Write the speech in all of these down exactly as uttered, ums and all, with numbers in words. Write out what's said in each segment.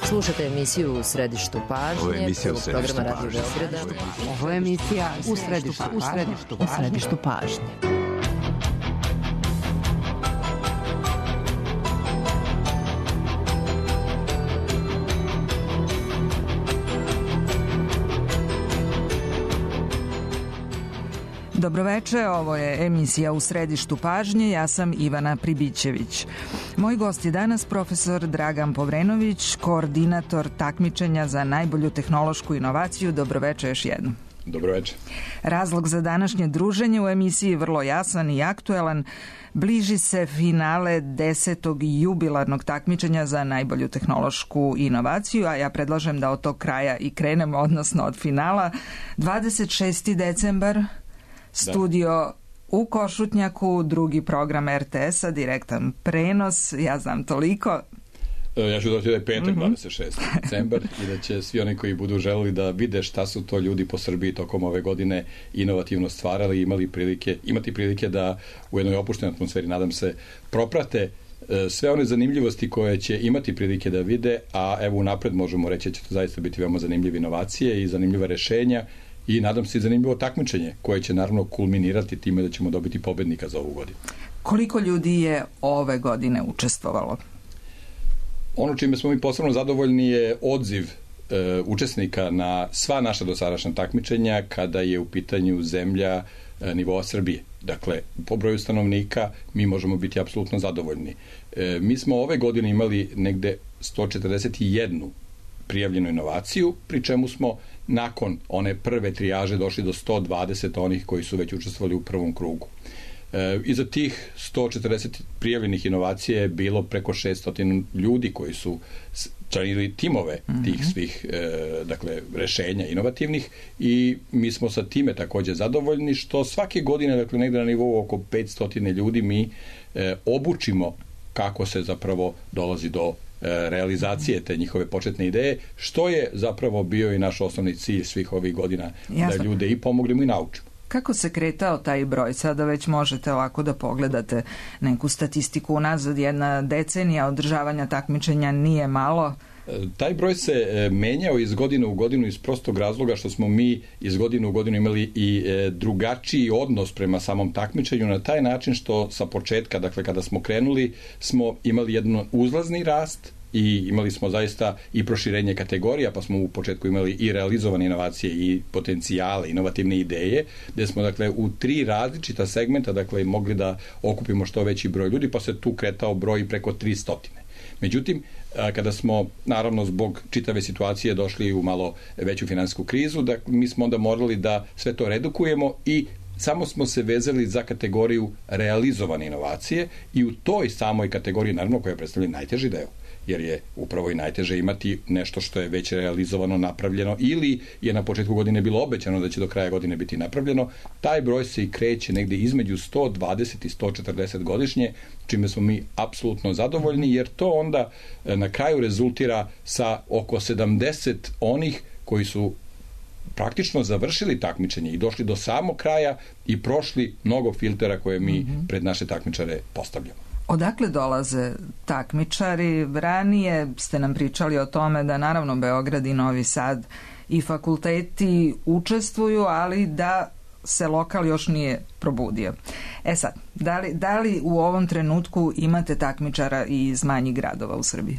Slušate emisiju U središtu pažnje. Ovo je emisija U središtu programa Radio pažnje. Beograda. Ovo je emisija U središtu pažnje. U središtu pažnje. Dobroveče, ovo je emisija U središtu pažnje, ja sam Ivana Pribićević. Moj gost je danas profesor Dragan Povrenović, koordinator takmičenja za najbolju tehnološku inovaciju. Dobroveče još jednom. Dobroveče. Razlog za današnje druženje u emisiji je vrlo jasan i aktuelan. Bliži se finale desetog jubilarnog takmičenja za najbolju tehnološku inovaciju, a ja predlažem da od tog kraja i krenemo, odnosno od finala. dvadeset šesti decembar, studio u Košutnjaku, drugi program er te es-a, direktan prenos, ja znam toliko. Ja ću dodati da je petak, Mm-hmm. dvadeset šesti decembar, i da će svi oni koji budu želeli da vide šta su to ljudi po Srbiji tokom ove godine inovativno stvarali, imali prilike, imati prilike da u jednoj opuštenoj atmosferi, nadam se, proprate sve one zanimljivosti koje će imati prilike da vide, a evo unapred možemo reći da će to zaista biti veoma zanimljive inovacije i zanimljiva rešenja, i nadam se i zanimljivo takmičenje koje će naravno kulminirati time da ćemo dobiti pobednika za ovu godinu. Koliko ljudi je ove godine učestvovalo? Ono čime smo mi posebno zadovoljni je odziv e, učesnika na sva naša dosadašnja takmičenja kada je u pitanju zemlja e, nivoa Srbije. Dakle, po broju stanovnika mi možemo biti apsolutno zadovoljni. E, mi smo ove godine imali negde sto četrdeset jednu prijavljenu inovaciju, pri čemu smo nakon one prve trijaže došli do sto dvadeset onih koji su već učestvovali u prvom krugu. E, iza tih sto četrdeset prijavljenih inovacija je bilo preko šesto ljudi koji su činili timove tih svih e, dakle, rešenja inovativnih, i mi smo sa time takođe zadovoljni što svake godine, dakle negde na nivou oko petsto ljudi mi e, obučimo kako se zapravo dolazi do realizacije te njihove početne ideje, što je zapravo bio i naš osnovni cilj svih ovih godina. Jasno. Da ljude i pomognemo i naučimo. Kako se kretao taj broj? Sada već možete ovako da pogledate neku statistiku unazad, jedna decenija održavanja takmičenja nije malo. Taj broj se menjao iz godine u godinu iz prostog razloga što smo mi iz godine u godinu imali i drugačiji odnos prema samom takmičenju, na taj način što sa početka, dakle kada smo krenuli, smo imali jedan uzlazni rast i imali smo zaista i proširenje kategorija, pa smo u početku imali i realizovane inovacije i potencijale, inovativne ideje, gde smo dakle u tri različita segmenta dakle mogli da okupimo što veći broj ljudi, pa se tu kretao broj preko tristo. Međutim, kada smo, naravno, zbog čitave situacije došli u malo veću finansijsku krizu, da mi smo onda morali da sve to redukujemo i samo smo se vezali za kategoriju realizovane inovacije, i u toj samoj kategoriji, naravno, koja predstavlja najteži deo, jer je upravo i najteže imati nešto što je već realizovano, napravljeno, ili je na početku godine bilo obećano da će do kraja godine biti napravljeno. Taj broj se i kreće negde između sto dvadeset i sto četrdeset godišnje, čime smo mi apsolutno zadovoljni, jer to onda na kraju rezultira sa oko sedamdeset onih koji su praktično završili takmičenje i došli do samog kraja i prošli mnogo filtera koje mi pred naše takmičare postavljamo. Odakle dolaze takmičari? Ranije ste nam pričali o tome da naravno Beograd i Novi Sad i fakulteti učestvuju, ali da se lokal još nije probudio. E sad, da li, da li u ovom trenutku imate takmičara i iz manjih gradova u Srbiji?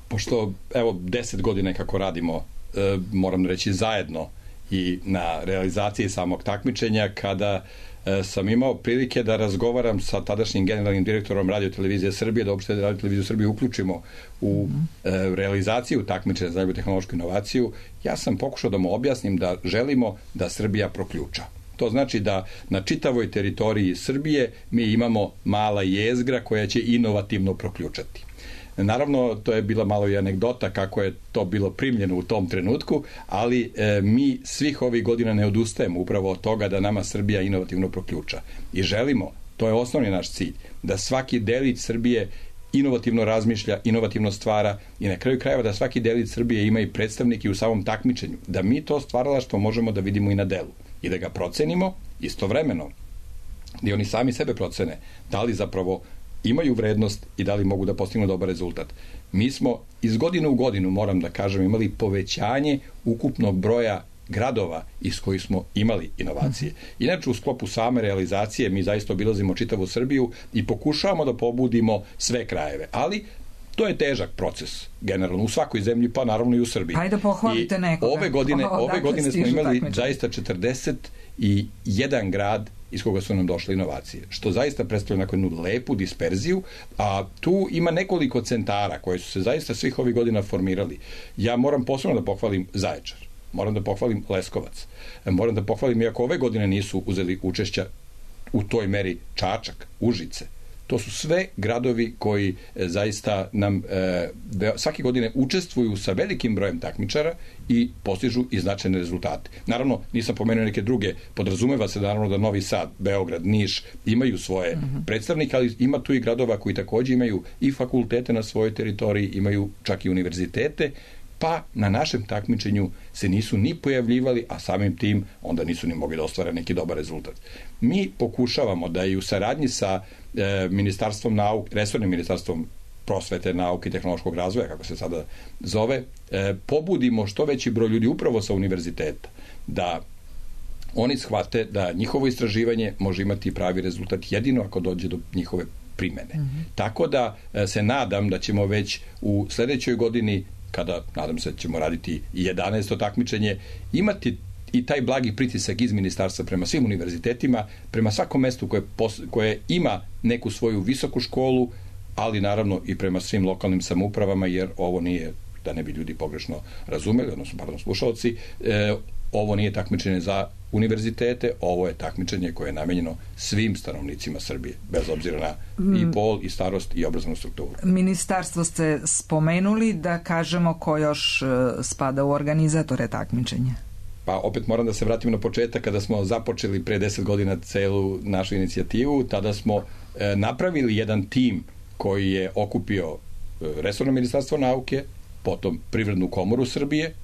Pošto, evo, deset godina kako radimo, e, moram reći zajedno i na realizaciji samog takmičenja, kada e, sam imao prilike da razgovaram sa tadašnjim generalnim direktorom Radio televizije Srbije, da uopšte Radio televiziju Srbije uključimo u e, realizaciju takmičenja za najbolju tehnološku inovaciju, ja sam pokušao da mu objasnim da želimo da Srbija proključa. To znači da na čitavoj teritoriji Srbije mi imamo mala jezgra koja će inovativno proključati. Naravno, to je bila malo i anegdota kako je to bilo primljeno u tom trenutku, ali e, mi svih ovih godina ne odustajemo upravo od toga da nama Srbija inovativno proključa. I želimo, to je osnovni naš cilj, da svaki delić Srbije inovativno razmišlja, inovativno stvara, i na kraju krajeva da svaki delić Srbije ima i predstavnike u samom takmičenju. Da mi to stvaralaštvo možemo da vidimo i na delu i da ga procenimo istovremeno, da oni sami sebe procene, da li zapravo imaju vrednost i da li mogu da postignu dobar rezultat. Mi smo iz godine u godinu, moram da kažem, imali povećanje ukupnog broja gradova iz kojih smo imali inovacije. Inače, u sklopu same realizacije mi zaista obilazimo čitavu Srbiju i pokušavamo da pobudimo sve krajeve, ali to je težak proces, generalno, u svakoj zemlji, pa naravno i u Srbiji. Hajde pohvalite nekoga. Ove godine, o, ove godine smo imali takmičenje. zaista četrdeset jedan grad iz koga su nam došle inovacije, što zaista predstavlja neku jednu lepu disperziju, a tu ima nekoliko centara koje su se zaista svih ovih godina formirali. Ja moram posebno da pohvalim Zaječar, moram da pohvalim Leskovac, moram da pohvalim, iako ove godine nisu uzeli učešća u toj meri, Čačak, Užice. To su sve gradovi koji e, zaista nam e, de, svake godine učestvuju sa velikim brojem takmičara i postižu i značajne rezultate. Naravno, nisam pomenuo neke druge, podrazumeva se naravno da Novi Sad, Beograd, Niš imaju svoje mm-hmm. predstavnike, ali ima tu i gradova koji takođe imaju i fakultete na svojoj teritoriji, imaju čak i univerzitete, pa na našem takmičenju se nisu ni pojavljivali, a samim tim onda nisu ni mogli da ostvare neki dobar rezultat. Mi pokušavamo da i u saradnji sa e, Ministarstvom nauke, resornim Ministarstvom prosvete, nauke i tehnološkog razvoja, kako se sada zove, e, pobudimo što veći broj ljudi upravo sa univerziteta, da oni shvate da njihovo istraživanje može imati pravi rezultat jedino ako dođe do njihove primene. Mm-hmm. Tako da e, se nadam da ćemo već u sledećoj godini, kada, nadam se, ćemo raditi i jedanaesto takmičenje, imati i taj blagi pritisak iz ministarstva prema svim univerzitetima, prema svakom mestu koje, pos, koje ima neku svoju visoku školu, ali naravno i prema svim lokalnim samoupravama, jer ovo nije, da ne bi ljudi pogrešno razumeli, odnosno, pardon, slušalci, e, ovo nije takmičenje za univerzitete, ovo je takmičenje koje je namenjeno svim stanovnicima Srbije, bez obzira na i pol, i starost, i obrazovnu strukturu. Ministarstvo ste spomenuli, da kažemo ko još spada u organizatore takmičenja. Pa opet moram da se vratim na početak, kada smo započeli pre deset godina celu našu inicijativu, tada smo e, napravili jedan tim koji je okupio e, resorno ministarstvo nauke, potom Privrednu komoru Srbije,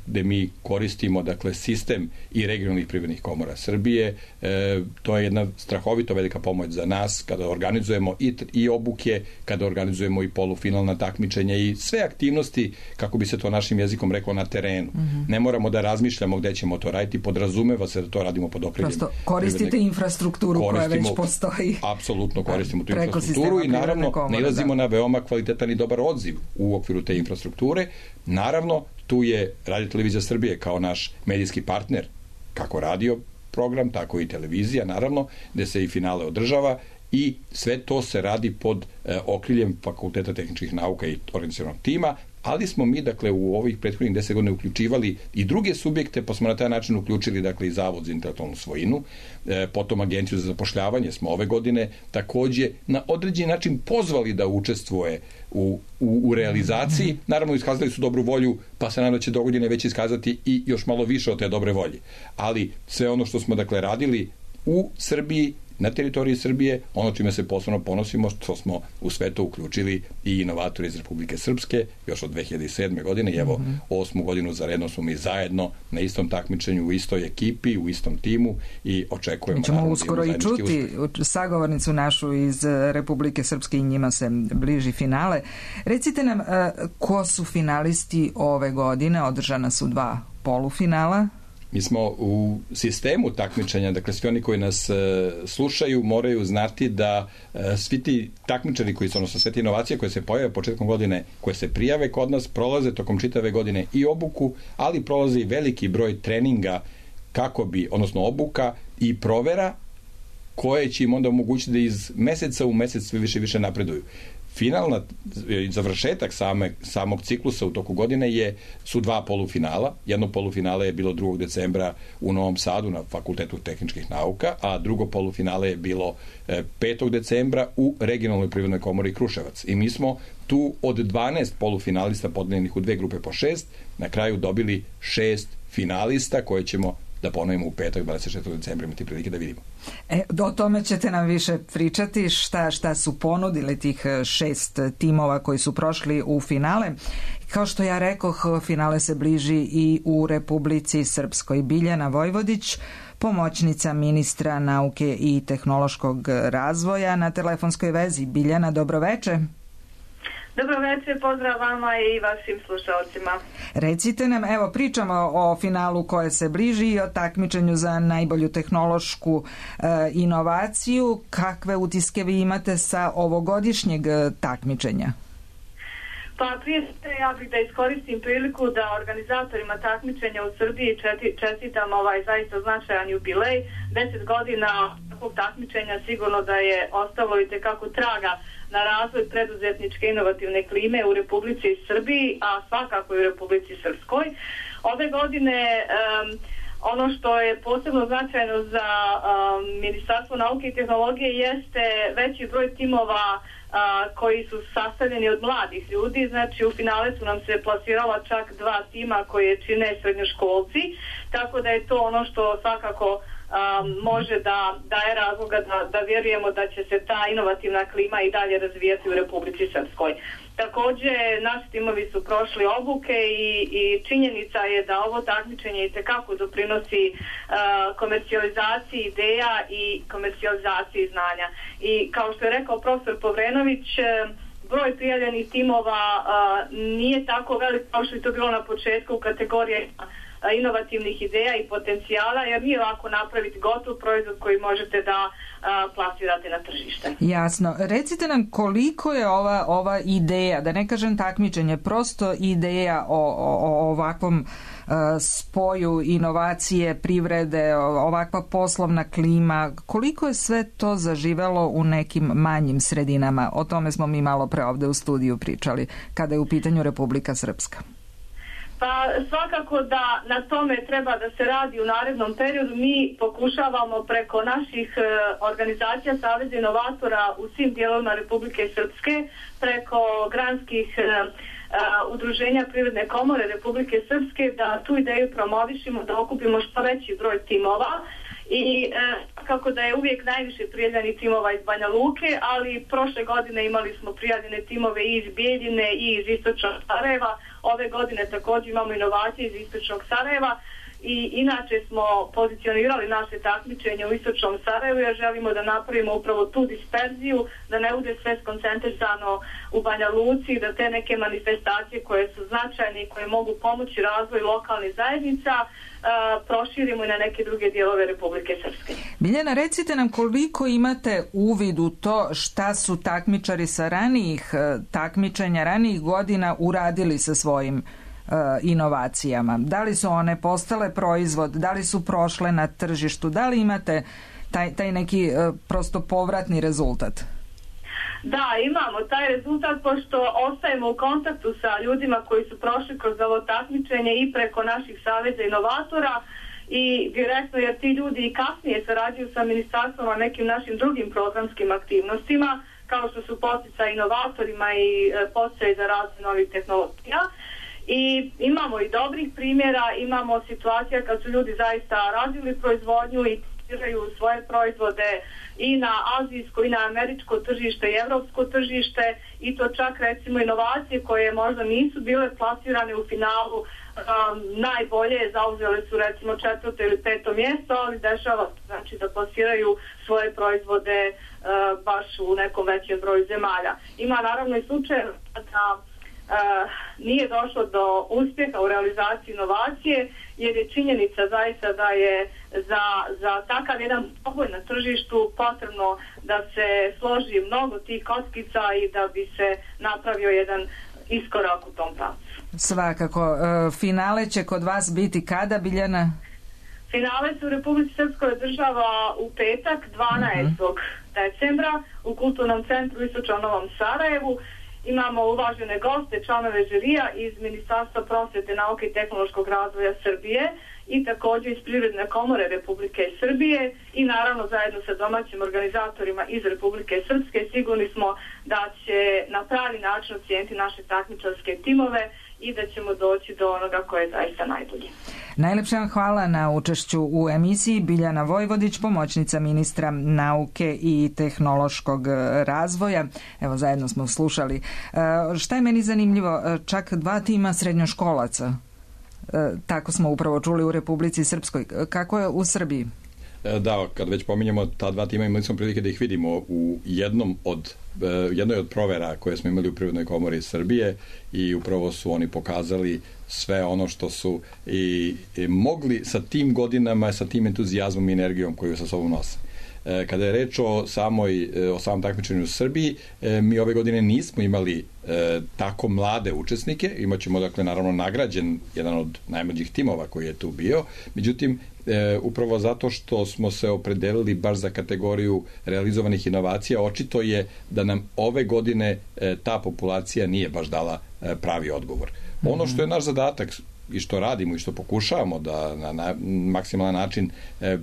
gde mi koristimo, dakle, sistem i regionalnih privrednih komora Srbije. E, to je jedna strahovito velika pomoć za nas kada organizujemo i, i obuke, kada organizujemo i polufinalna takmičenja i sve aktivnosti, kako bi se to našim jezikom reklo, na terenu. Mm-hmm. Ne moramo da razmišljamo gde ćemo to raditi, podrazumeva se da to radimo pod okriljem. Prosto koristite privredne... infrastrukturu koja već postoji. Apsolutno koristimo tu infrastrukturu i naravno nailazimo na veoma kvalitetan i dobar odziv u okviru te infrastrukture. Naravno, tu je Radio Televizija Srbije kao naš medijski partner, kako radio program, tako i televizija, naravno, gde se i finale održava i sve to se radi pod e, okriljem Fakulteta tehničkih nauka i organizacionog tima, ali smo mi, dakle, u ovih prethodnih deset godina uključivali i druge subjekte, pa smo na taj način uključili, dakle, i Zavod za intelektualnu svojinu, e, potom Agenciju za zapošljavanje smo ove godine takođe na određeni način pozvali da učestvuje u, u, u realizaciji. Naravno, iskazali su dobru volju, pa se nadam da će do godine već iskazati i još malo više od te dobre volje. Ali sve ono što smo, dakle, radili u Srbiji, na teritoriji Srbije, ono čime se posebno ponosimo, što smo u sve to uključili i inovatori iz Republike Srpske, još od dve hiljade sedme. godine, i evo, mm-hmm. osmu godinu za redno smo mi zajedno na istom takmičenju, u istoj ekipi, u istom timu i očekujemo... Mi ćemo uskoro i čuti uspjeh. Sagovornicu našu iz Republike Srpske i njima se bliži finale. Recite nam, ko su finalisti ove godine? Održana su dva polufinala. Mi smo u sistemu takmičenja, dakle svi oni koji nas e, slušaju moraju znati da e, svi ti takmičari koji su, odnosno sve te inovacije koje se pojave početkom godine, koje se prijave kod nas, prolaze tokom čitave godine i obuku, ali prolaze i veliki broj treninga kako bi, odnosno obuka i provera koje će im onda omogućiti da iz meseca u mesec sve više i više napreduju. Finalna, završetak same, samog ciklusa u toku godine je, su dva polufinala. Jedno polufinale je bilo drugog decembra u Novom Sadu na Fakultetu tehničkih nauka, a drugo polufinale je bilo petog decembra u Regionalnoj privrednoj komori Kruševac. I mi smo tu od dvanaest polufinalista podeljenih u dve grupe po šest, na kraju dobili šest finalista koje ćemo da ponovimo u petak, dvadeset šestog decembra, imati prilike da vidimo. E, o tome ćete nam više pričati, šta, šta su ponudili tih šest timova koji su prošli u finale. Kao što ja rekoh, finale se bliži i u Republici Srpskoj. Biljana Vojvodić, pomoćnica ministra nauke i tehnološkog razvoja. Na telefonskoj vezi Biljana, dobroveče. Dobro večer, pozdrav vama i vašim slušalcima. Recite nam, evo pričamo o finalu koje se bliži i o takmičenju za najbolju tehnološku e, inovaciju. Kakve utiske vi imate sa ovogodišnjeg takmičenja? Pa prije sve ja bih da iskoristim priliku da organizatorima takmičenja u Srbiji čestitam ovaj zaista značajan jubilej. Deset godina takvog takmičenja sigurno da je ostalo i tekako traga na razvoj preduzetničke inovativne klime u Republici Srbiji, a svakako i u Republici Srpskoj. Ove godine um, ono što je posebno značajno za um, Ministarstvo nauke i tehnologije jeste veći broj timova a, koji su sastavljeni od mladih ljudi. Znači u finale su nam se plasirala čak dva tima koje čine srednjoškolci, tako da je to ono što svakako Um, može da daje razloga da, da vjerujemo da će se ta inovativna klima i dalje razvijati u Republici Srpskoj. Također, naši timovi su prošli obuke i, i činjenica je da ovo takmičenje itekako doprinosi uh, komercijalizaciji ideja i komercijalizaciji znanja. I kao što je rekao profesor Povrenović, broj prijavljenih timova uh, nije tako velik kao što je to bilo na početku u kategoriji inovativnih ideja i potencijala, jer nije lako napraviti gotov proizvod koji možete da a, plasirate na tržište. Jasno. Recite nam koliko je ova, ova ideja, da ne kažem takmičenje, prosto ideja o, o, o ovakvom a, spoju inovacije, privrede, ovakva poslovna klima, koliko je sve to zaživelo u nekim manjim sredinama? O tome smo mi malo pre ovde u studiju pričali, kada je u pitanju Republika Srpska. Pa svakako da na tome treba da se radi u narednom periodu. Mi pokušavamo preko naših e, organizacija Saveza inovatora u svim dijelovima Republike Srpske, preko granskih e, e, udruženja Privredne komore Republike Srpske, da tu ideju promovišimo, da okupimo što veći broj timova. I e, kako da je uvijek najviše prijavljenih timova iz Banja Luke, ali prošle godine imali smo prijavljene timove i iz Bijeljine i iz Istočnog Sarajeva. Ove godine također imamo inovacije iz Istočnog Sarajeva i inače smo pozicionirali naše takmičenje u Istočnom Sarajevu jer želimo da napravimo upravo tu disperziju, da ne bude sve skoncentrisano u Banja Luci, da te neke manifestacije koje su značajne i koje mogu pomoći razvoju lokalnih zajednica Uh, proširimo i na neke druge dijelove Republike Srpske. Biljana, recite nam koliko imate uvid u to šta su takmičari sa ranijih takmičenja, ranijih godina uradili sa svojim uh, inovacijama. Da li su one postale proizvod, da li su prošle na tržištu, da li imate taj, taj neki uh, prosto povratni rezultat? Da, imamo taj rezultat pošto ostajemo u kontaktu sa ljudima koji su prošli kroz ovo takmičenje i preko naših saveza inovatora i direktno jer ti ljudi i kasnije sarađuju sa ministarstvom na nekim našim drugim programskim aktivnostima kao što su podsticaj inovatorima i podsticaj za razvoj novih tehnologija. I imamo i dobrih primjera, imamo situacija kad su ljudi zaista razvili proizvodnju i svoje proizvode i na azijsko i na američko tržište i evropsko tržište i to čak recimo inovacije koje možda nisu bile plasirane u finalu um, najbolje zauzele su recimo četvrto ili peto mjesto, ali dešava znači da plasiraju svoje proizvode uh, baš u nekom većem broju zemalja. Ima naravno i slučaj da Uh, nije došlo do uspjeha u realizaciji inovacije jer je činjenica zaista da je za, za takav jedan poboj na tržištu potrebno da se složi mnogo tih kockica i da bi se napravio jedan iskorak u tom pravcu. Svakako. Uh, finale će kod vas biti kada, Biljana? Finale se u Republici Srpskoj održava u petak dvanaestog decembra u Kulturnom centru u Istočnom Novom Sarajevu. Imamo uvažene goste, članove žirija iz Ministarstva prosvete, nauke i tehnološkog razvoja Srbije i također iz Privredne komore Republike Srbije i naravno zajedno sa domaćim organizatorima iz Republike Srpske sigurni smo da će na pravi način ocijeniti naše takmičarske timove i da ćemo doći do onoga koje je zaista najbolje. Najlepša vam hvala na učešću u emisiji. Biljana Vojvodić, pomoćnica ministra nauke i tehnološkog razvoja. Evo, zajedno smo slušali. E, šta je meni zanimljivo? Čak dva tima srednjoškolaca. E, tako smo upravo čuli u Republici Srpskoj. Kako je u Srbiji? Da, kad već pominjamo ta dva tima, imali smo prilike da ih vidimo u jednom od, jednoj od provera koje smo imali u Privrednoj komori Srbije i upravo su oni pokazali sve ono što su i, i mogli sa tim godinama, sa tim entuzijazmom i energijom koju sa sobom nose. Kada je reč o samoj o samom takmičenju u Srbiji, mi ove godine nismo imali e, tako mlade učesnike. Imaćemo, dakle, naravno nagrađen jedan od najmlađih timova koji je tu bio. Međutim, e, upravo zato što smo se opredelili baš za kategoriju realizovanih inovacija, očito je da nam ove godine e, ta populacija nije baš dala e, pravi odgovor. Mm-hmm. Ono što je naš zadatak i što radimo i što pokušavamo da na, na maksimalan način e,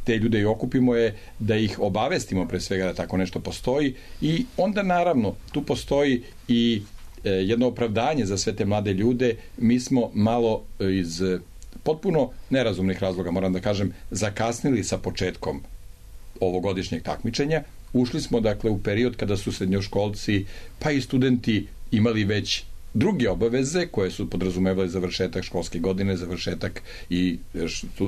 te ljude i okupimo je da ih obavestimo pre svega da tako nešto postoji i onda naravno tu postoji i e, jedno opravdanje za sve te mlade ljude. Mi smo malo iz potpuno nerazumnih razloga, moram da kažem, zakasnili sa početkom ovogodišnjeg takmičenja. Ušli smo, dakle, u period kada su srednjoškolci pa i studenti imali već druge obaveze koje su podrazumevale završetak školske godine, završetak i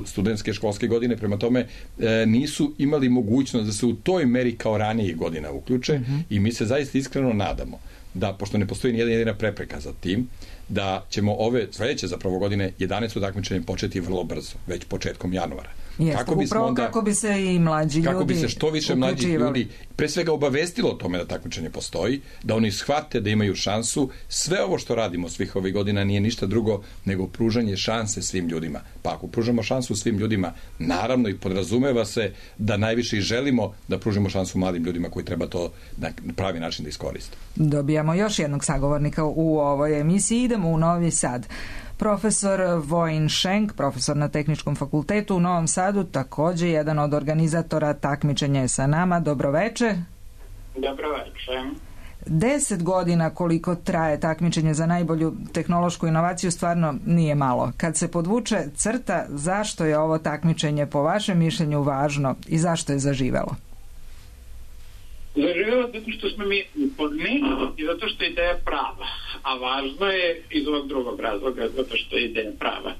studentske školske godine, prema tome e, nisu imali mogućnost da se u toj meri kao ranijih godina uključe. Mm-hmm. I mi se zaista iskreno nadamo da, pošto ne postoji nijedna jedina prepreka za tim, da ćemo ove sledeće zapravo godine jedanaesto takmičenje početi vrlo brzo, već početkom januara. Jeste, kako upravo onda, kako bi se i mlađi ljudi kako bi se što više mlađih ljudi pre svega obavestilo o tome da takmičenje postoji, da oni shvate da imaju šansu. Sve ovo što radimo svih ovih godina nije ništa drugo nego pružanje šanse svim ljudima. Pa ako pružamo šansu svim ljudima, naravno i podrazumeva se da najviše i želimo da pružimo šansu mladim ljudima koji treba to na pravi način da iskoriste. Dobijamo još jednog sagovornika u ovoj emisiji. Idemo u Novi Sad. Profesor Vojin Šenk, profesor na Tehničkom fakultetu u Novom Sadu, takođe jedan od organizatora takmičenja je sa nama. Dobroveče. Dobroveče. Deset godina koliko traje takmičenje za najbolju tehnološku inovaciju stvarno nije malo. Kad se podvuče crta, zašto je ovo takmičenje po vašem mišljenju važno i zašto je zaživelo? Zaživelo zato što smo mi uporni i zato što je ideja prava, a važno je iz ovog drugog razloga zato što je ideja prava.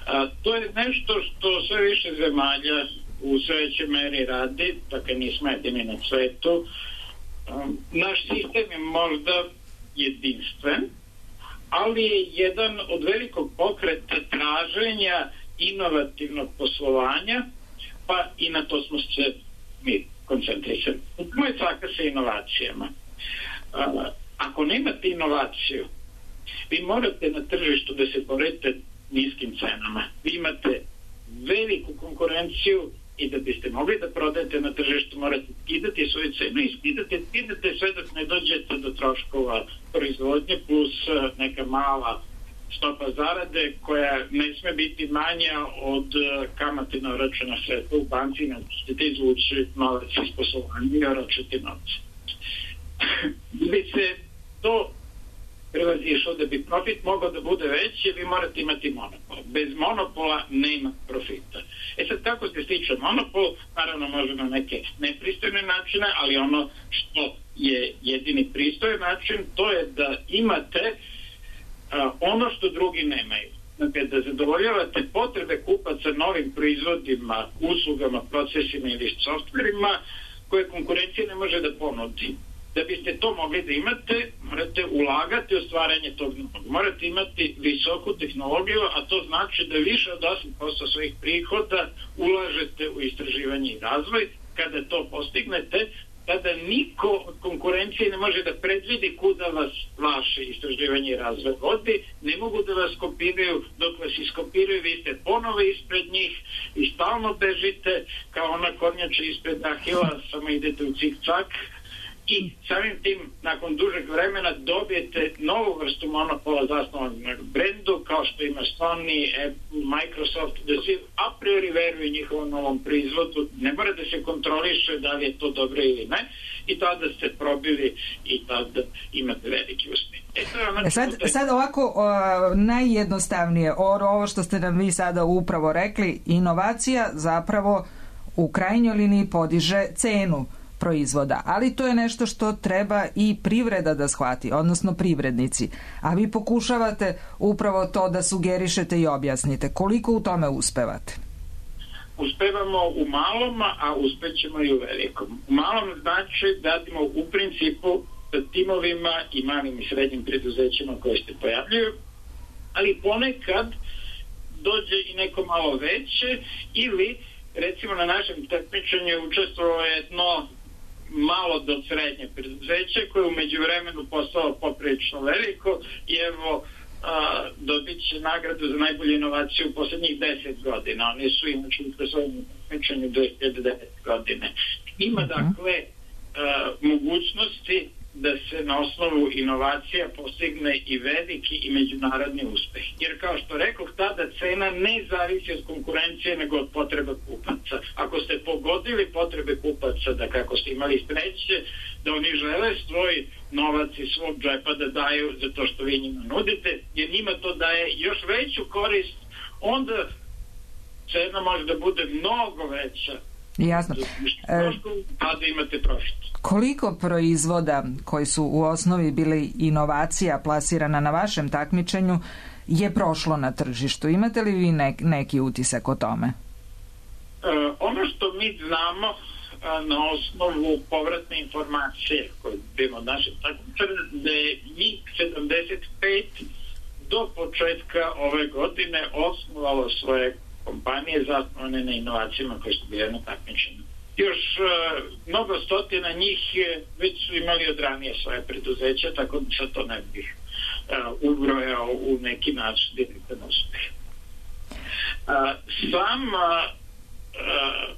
A, to je nešto što sve više zemalja u sve većoj meri radi, dakle nismo jedini na svetu. A, naš sistem je možda jedinstven, ali je jedan od velikog pokreta traženja inovativnog poslovanja, pa i na to smo se mi koncentrisani. Moj caka sa inovacijama. A, ako nemate inovaciju, vi morate na tržištu da se borite niskim cenama. Vi imate veliku konkurenciju i da biste mogli da prodajete na tržištu morate skidati svoju cenu i skidate, skidate sve dok ne dođete do troškova proizvodnje plus neka mala stopa zarade koja ne sme biti manja od kamate na oročena sredstva u banci, na ćete izvući novac iz poslovanja i oročiti novce. Da bi se to prevazišlo, da bi profit mogao da bude veći, vi morate imati monopol. Bez monopola nema profita. E sad, kako se stiče monopol? Naravno, može na neke nepristojne načine, ali ono što je jedini pristojan način, to je da imate a, ono što drugi nemaju. Dakle, da zadovoljavate potrebe kupaca novim proizvodima, uslugama, procesima ili softverima koje konkurencija ne može da ponudi. Da biste to mogli da imate, morate ulagati u stvaranje tog novog. Morate imati visoku tehnologiju, a to znači da više od osam posto svojih prihoda ulažete u istraživanje i razvoj. Kada to postignete, tada niko od konkurencije ne može da predvidi kuda vas vaše istraživanje i razvoj vodi, ne mogu da vas kopiraju, dok vas iskopiraju, vi ste ponovo ispred njih i stalno bežite kao ona kornjača ispred Ahila, samo idete u cik-cak. I samim tim, nakon dužeg vremena dobijete novu vrstu monopola zasnovanog na brendu, kao što ima Sony, Apple, Microsoft, da svi a priori veruju njihovom novom proizvodu, ne mora da se kontroliše da li je to dobro ili ne, i tada ste probili i tada imate veliki uspjeh. E, sad, sad ovako o, najjednostavnije, ovo što ste nam vi sada upravo rekli, inovacija zapravo u krajnjoj liniji podiže cenu proizvoda, ali to je nešto što treba i privreda da shvati, odnosno privrednici. A vi pokušavate upravo to da sugerišete i objasnite. Koliko u tome uspevate? uspevamo u malom, a uspećemo i u velikom. U malom znači da radimo u principu sa timovima i malim i srednjim preduzećima koje se pojavljuju, ali ponekad dođe i neko malo veće, ili recimo na našem takmičenju učestvovalo jedno malo do srednje preduzeće koje je u međuvremenu postalo poprilično veliko i evo a, dobit će nagradu za najbolju inovaciju u poslednjih deset godina. Oni su inače u svojom takmičenju dve hiljade devete. godine. Ima dakle a, mogućnosti da se na osnovu inovacija postigne i veliki i međunarodni uspeh. Jer kao što rekoh, tada cena ne zavisi od konkurencije nego od potreba kupaca. Ako ste pogodili potrebe kupaca, da kako ste imali sreće, da oni žele svoj novac iz svog džepa da daju za to što vi njima nudite, jer njima to daje još veću korist, onda cena može da bude mnogo veća. Jasno. E, a da imate profit. Koliko proizvoda koji su u osnovi bili inovacija plasirana na vašem takmičenju je prošlo na tržištu? Imate li vi nek, neki utisak o tome? E, ono što mi znamo a, na osnovu povratne informacije koje bimo od našeg takmičenja, da je njih sedamdeset pet do početka ove godine osnovalo svoje kompanije zasnovane na inovacijama koje su bile na takmičenju. Još uh, mnogo stotina njih već su imali od ranije svoje preduzeća, tako da sad to ne bih uh, ubrojao u neki način direktan uspeh. Uh, sam uh, uh,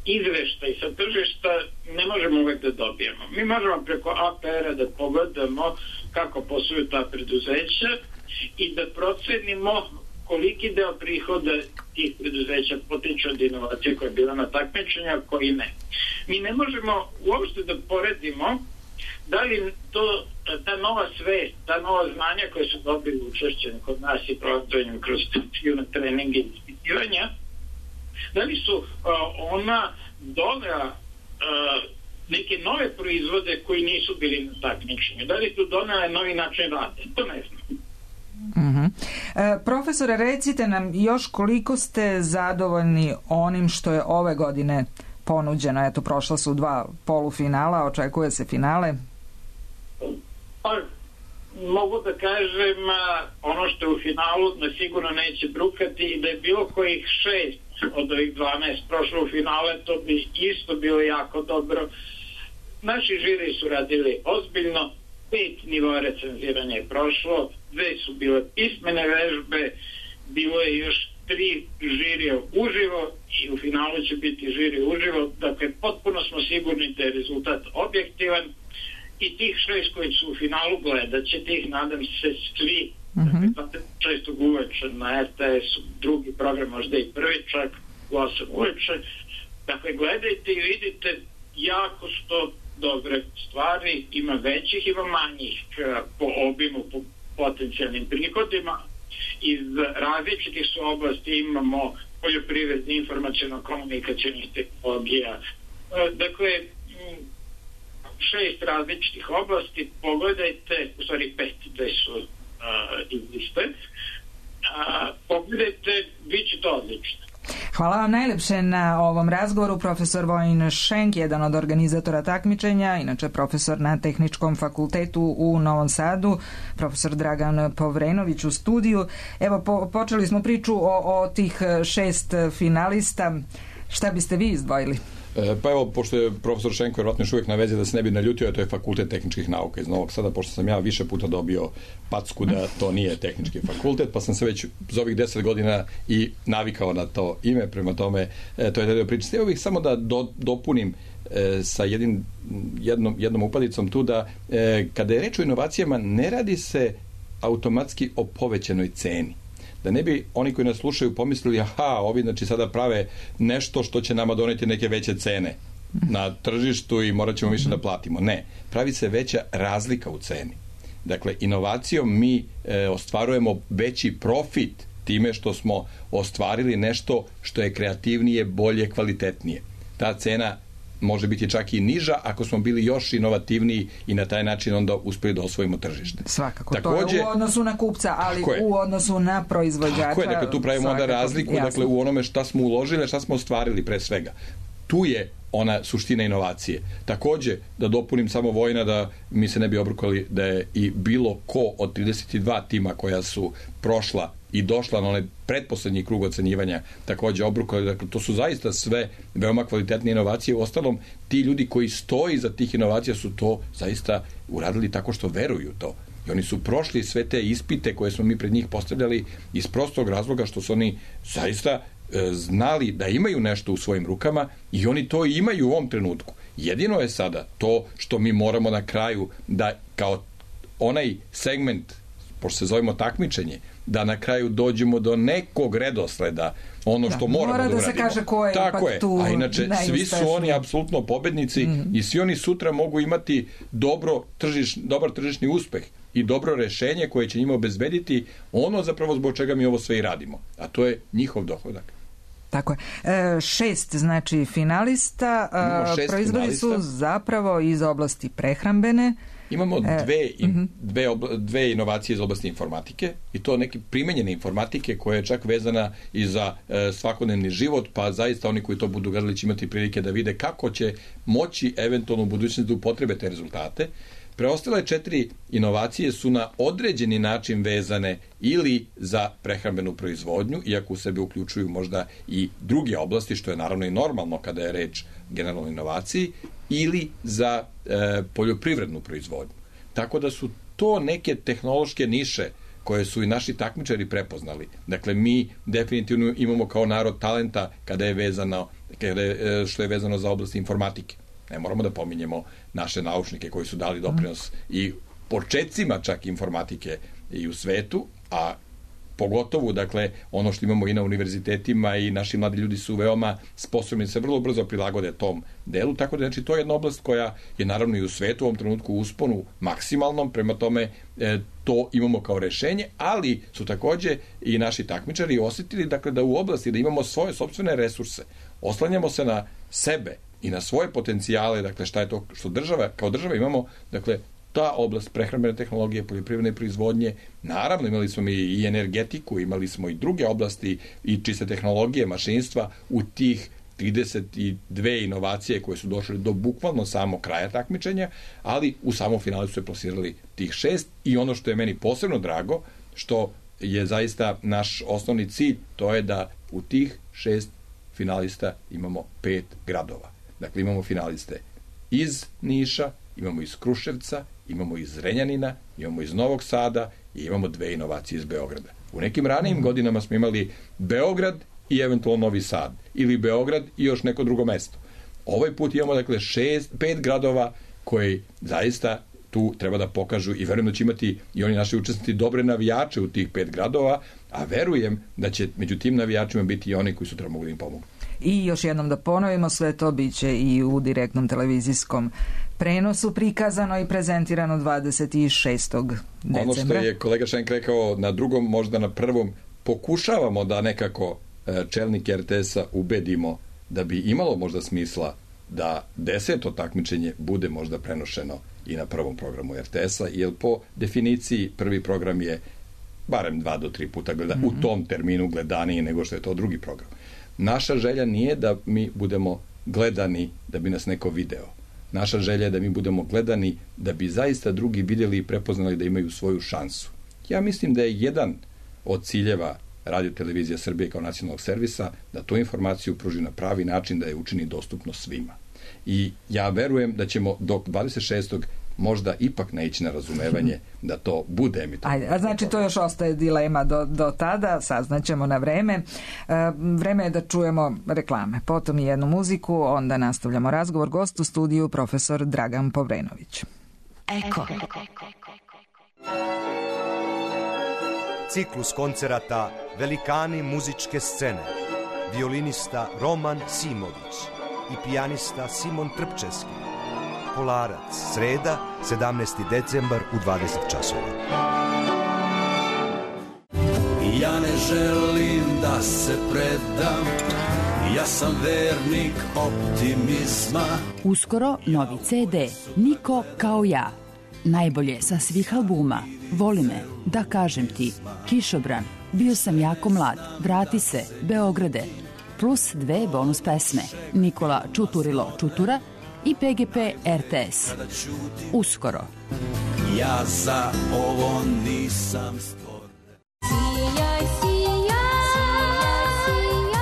izveštaj sa tržišta ne možemo uvek da dobijemo. Mi možemo preko A P R-a da pogledamo kako posluju ta preduzeća i da procenimo koliki deo prihoda tih preduzeća potiče od inovacije koja je bila na takmičenju, a koji ne. Mi ne možemo uopšte da poredimo da li to, ta nova svest, ta nova znanja koje su dobili učešćeni kod nas i projektovanjem kroz treninge i ispitivanja, da li su uh, ona donela uh, neke nove proizvode koji nisu bili na takmičenju, da li su donela novi način rada, to ne znam. Uh-huh. E, profesore, recite nam još koliko ste zadovoljni onim što je ove godine ponuđeno. Eto, prošla su dva polufinala, očekuje se finale. Pa, mogu da kažem, ono što je u finalu na sigurno neće brukati i da je bilo kojih šest od ovih dvanaest prošlo u finale, to bi isto bilo jako dobro. Naši žiri su radili ozbiljno, pet nivoa recenziranja je prošlo, dve su bile pismene vežbe, bilo je još tri žirija uživo i u finalu će biti žiri uživo, dakle potpuno smo sigurni da je rezultat objektivan i tih šest koji su u finalu gledat ćete ih, nadam se, svi, mm-hmm. dakle šestog uveče na R T S-u, drugi program, možda i prvi čak u osam uveče, dakle gledajte i vidite jako što dobre stvari, ima većih, ima manjih po obimu, po potencijalnim prihodima. Iz različitih su oblasti, imamo poljoprivredni, informaciono-komunikacijnih tehnologija. Dakle, šest različitih oblasti, pogledajte, u stvari pet, dve su uh, izliste, uh, pogledajte, bit će to odlično. Hvala vam najlepše na ovom razgovoru. Profesor Vojin Šenk, jedan od organizatora takmičenja, inače profesor na Tehničkom fakultetu u Novom Sadu, profesor Dragan Povrenović u studiju. Evo, po, počeli smo priču o, o tih šest finalista. Šta biste vi izdvojili? Pa evo, pošto je profesor Šenko vjerojatno još uvijek na vezi da se ne bi naljutio, to je Fakultet tehničkih nauka iz Novog Sada, pošto sam ja više puta dobio packu da to nije tehnički fakultet, pa sam se već za ovih deset godina i navikao na to ime, prema tome to je taj deo priče. Evo bih samo da do, dopunim e, sa jednim, jednom, jednom upadicom tu da e, kada je reč o inovacijama ne radi se automatski o povećanoj ceni. Da ne bi oni koji nas slušaju pomislili, aha, ovi znači sada prave nešto što će nama doneti neke veće cene na tržištu i morat ćemo više da platimo. Ne, pravi se veća razlika u ceni. Dakle, inovacijom mi e, ostvarujemo veći profit time što smo ostvarili nešto što je kreativnije, bolje, kvalitetnije. Ta cena može biti čak i niža ako smo bili još inovativniji i na taj način onda uspeli da osvojimo tržište. Svakako, takođe, to je u odnosu na kupca, ali u odnosu na proizvođača. Tako je, dakle tu pravimo onda razliku dakle, u onome šta smo uložili, šta smo ostvarili pre svega. Tu je ona suština inovacije. Takođe, da dopunim samo Vojna, da mi se ne bi obrukali da je i bilo ko od trideset dva tima koja su prošla i došla na onaj pretposlednji krug ocenjivanja takođe obrukali. Dakle, to su zaista sve veoma kvalitetne inovacije. U ostalom, ti ljudi koji stoji za tih inovacija su to zaista uradili tako što veruju to. I oni su prošli sve te ispite koje smo mi pred njih postavljali iz prostog razloga što su oni zaista znali da imaju nešto u svojim rukama i oni to imaju u ovom trenutku. Jedino je sada to što mi moramo na kraju da kao onaj segment, pošto se zovemo takmičenje, da na kraju dođemo do nekog redosleda, ono što da, moramo mora da uradimo. Mora da se kaže ko je tako je. Tu a inače, svi su oni apsolutno pobednici mm. i svi oni sutra mogu imati dobro tržiš, dobar tržišni uspeh i dobro rešenje koje će njima obezbediti ono zapravo zbog čega mi ovo sve i radimo. A to je njihov dohodak. Tako je. E, šest, znači, finalista. E, proizvodi finalista. Su zapravo iz oblasti prehrambene. Imamo dve, in, dve, obla, dve inovacije iz oblasti informatike i to neke primenjene informatike koja je čak vezana i za e, svakodnevni život, pa zaista oni koji to budu gledali će imati prilike da vide kako će moći eventualno u budućnosti da upotrebe te rezultate. Preostale četiri inovacije su na određeni način vezane ili za prehrambenu proizvodnju, iako u sebe uključuju možda i druge oblasti, što je naravno i normalno kada je reč generalno inovaciji, ili za e, poljoprivrednu proizvodnju. Tako da su to neke tehnološke niše koje su i naši takmičari prepoznali. Dakle, mi definitivno imamo kao narod talenta kada je vezano, kada je, što je vezano za oblast informatike. Ne moramo da pominjemo naše naučnike koji su dali doprinos i početcima čak informatike i u svetu, a pogotovo, dakle, ono što imamo i na univerzitetima i naši mladi ljudi su veoma sposobni da se vrlo brzo prilagode tom delu, tako da znači to je jedna oblast koja je naravno i u svetu u ovom trenutku u usponu maksimalnom, prema tome e, to imamo kao rešenje, ali su takođe i naši takmičari osjetili, dakle, da u oblasti da imamo svoje sopstvene resurse, oslanjamo se na sebe i na svoje potencijale, dakle, šta je to što država, kao država imamo, dakle, ta oblast prehrambene tehnologije, poljoprivredne proizvodnje, naravno imali smo i energetiku, imali smo i druge oblasti i čiste tehnologije, mašinstva u tih trideset dve inovacije koje su došle do bukvalno samo kraja takmičenja, ali u samom finalu su se plasirali tih šest i ono što je meni posebno drago, što je zaista naš osnovni cilj, to je da u tih šest finalista imamo pet gradova. Dakle, imamo finaliste iz Niša, imamo iz Kruševca, imamo iz Zrenjanina, imamo iz Novog Sada i imamo dve inovacije iz Beograda. U nekim ranijim godinama smo imali Beograd i eventualno Novi Sad, ili Beograd i još neko drugo mesto. Ovaj put imamo, dakle, šest, pet gradova koji zaista tu treba da pokažu i verujem da će imati i oni naši učesnici dobre navijače u tih pet gradova, a verujem da će među tim navijačima biti i oni koji sutra mogu da im pomogu. I još jednom da ponovimo, sve to biće i u direktnom televizijskom prenosu prikazano i prezentirano dvadeset šestog decembra. Ono što je kolega Šenk rekao, na drugom, možda na prvom, pokušavamo da nekako čelnik er te es-a ubedimo da bi imalo možda smisla da deseto takmičenje bude možda prenošeno i na prvom programu er te es-a, jer po definiciji prvi program je barem dva do tri puta gleda, mm-hmm. u tom terminu gledaniji nego što je to drugi program. Naša želja nije da mi budemo gledani da bi nas neko video. Naša želja je da mi budemo gledani da bi zaista drugi vidjeli i prepoznali da imaju svoju šansu. Ja mislim da je jedan od ciljeva Radio Televizija Srbije kao nacionalnog servisa da tu informaciju pruži na pravi način, da je učini dostupno svima. I ja verujem da ćemo do dvadeset šestog možda ipak naići na razumevanje da to bude emitovano. Ajde, a znači to još ostaje dilema do, do tada, saznaćemo na vreme. E, vreme je da čujemo reklame, potom i jednu muziku, onda nastavljamo razgovor. Gost u studiju profesor Dragan Povrenović. Eko. Ciklus koncerata Velikani muzičke scene, violinista Roman Simović i pijanista Simon Trpčevski. Kolarac, sreda, sedamnaesti decembar u dvadeset časova. Ja ne želim da se predam, Ja sam vernik optimizma. Uskoro novi ce de Niko kao ja. Najbolje sa svih albuma. Voli me, da kažem ti, Kišobran, bio sam jako mlad, vrati se, Beograde, plus dve bonus pesme, Nikola Čuturilo Čutura i pe ge pe er te es. Uskoro. Ja za ovo nisam stvoren. Sijaj, sijaj, sijaj,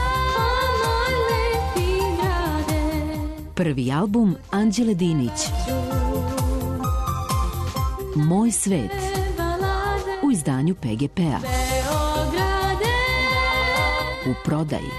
moj lepi grade. Prvi album Anđele Dinić. Moj svet. U izdanju pe ge pe a. U prodaji.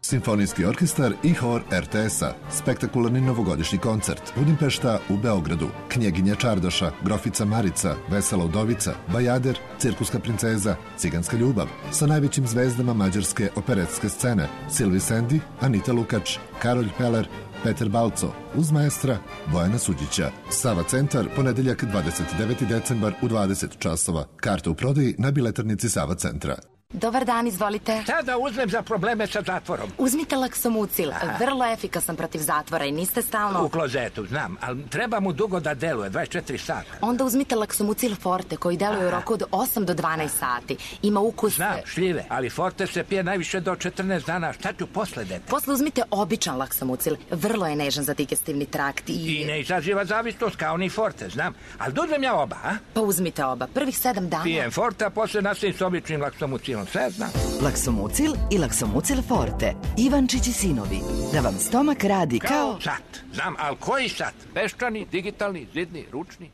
Simfonijski orkestar i hor er te es-a. Spektakularni novogodišnji koncert. Budimpešta u Beogradu. Knjeginja Čardoša, Grofica Marica, Vesela udovica, Bajader, Cirkuska princeza, Ciganska ljubav. Sa najvećim zvezdama mađarske operetske scene. Silvi Sendi, Anita Lukač, Karolj Peler, Peter Balco, uz maestra Bojana Suđića. Sava centar, ponedeljak dvadeset deveti decembar u dvadeset časova. Karta u prodaji na biletarnici Sava centra. Dobar dan, izvolite. Šta da uzmem za probleme sa zatvorom? Uzmite Laksomucil, vrlo efikasan protiv zatvora i niste stalno... U klozetu, znam, ali treba mu dugo da deluje, dvadeset četiri sata. Onda uzmite Laksomucil Forte koji deluje u roku od osam do dvanaest sati. Ima ukus... Znam, šljive, ali Forte se pije najviše do četrnaest dana. Šta ću posle dete? Posle uzmite običan Laksomucil, vrlo je nežan za digestivni trakt i... I ne izaziva zavisnost kao ni Forte, znam. Ali da uzmem ja oba, a? Pa uzmite oba, prvih sedam dana... Pijem Forte, a posle nastavim s običnim Laksomucilom, sve znam. Laksomucil i Laksomucil Forte. Ivančić i sinovi. Da vam stomak radi kao... Kao sat. Znam, ali koji sat? Peščani, digitalni, zidni, ručni?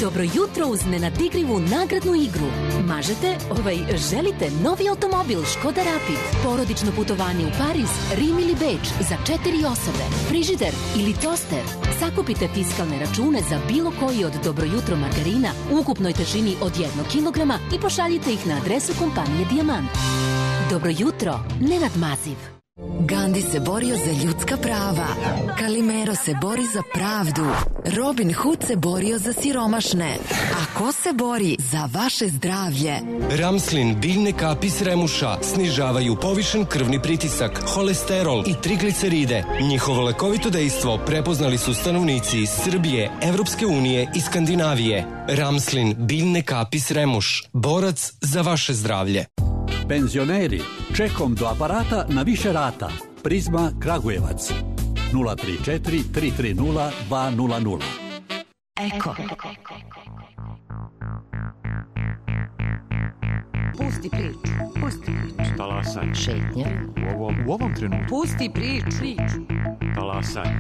Dobro jutro uz nenadikrivu nagradnu igru. Mažete, ovaj, želite novi automobil Škoda Rapid, porodično putovanje u Pariz, Rim ili Beč za četiri osobe, frižider ili toster. Sakupite fiskalne račune za bilo koji od Dobro jutro margarina u ukupnoj težini od jednog kilograma i pošaljite ih na adresu kompanije Dijamant. Dobro jutro, Nenad Maziv. Gandhi se borio za ljudska prava, Kalimero se bori za pravdu, Robin Hood se borio za siromašne. A ko se bori za vaše zdravlje? Ramslin biljne kapi s remuša snižavaju povišen krvni pritisak, holesterol i trigliceride. Njihovo lekovito dejstvo prepoznali su stanovnici iz Srbije, Evropske unije i Skandinavije. Ramslin biljne kapi s remuš, borac za vaše zdravlje. Penzioneri, čekom do aparata na više rata. Prizma Kragujevac. nula tri četiri tri tri nula dva nula nula. Eko. Pusti priču. Pusti priču. Talasaj. Šetnja. U ovom, u ovom trenutku. Pusti priču. Talasaj.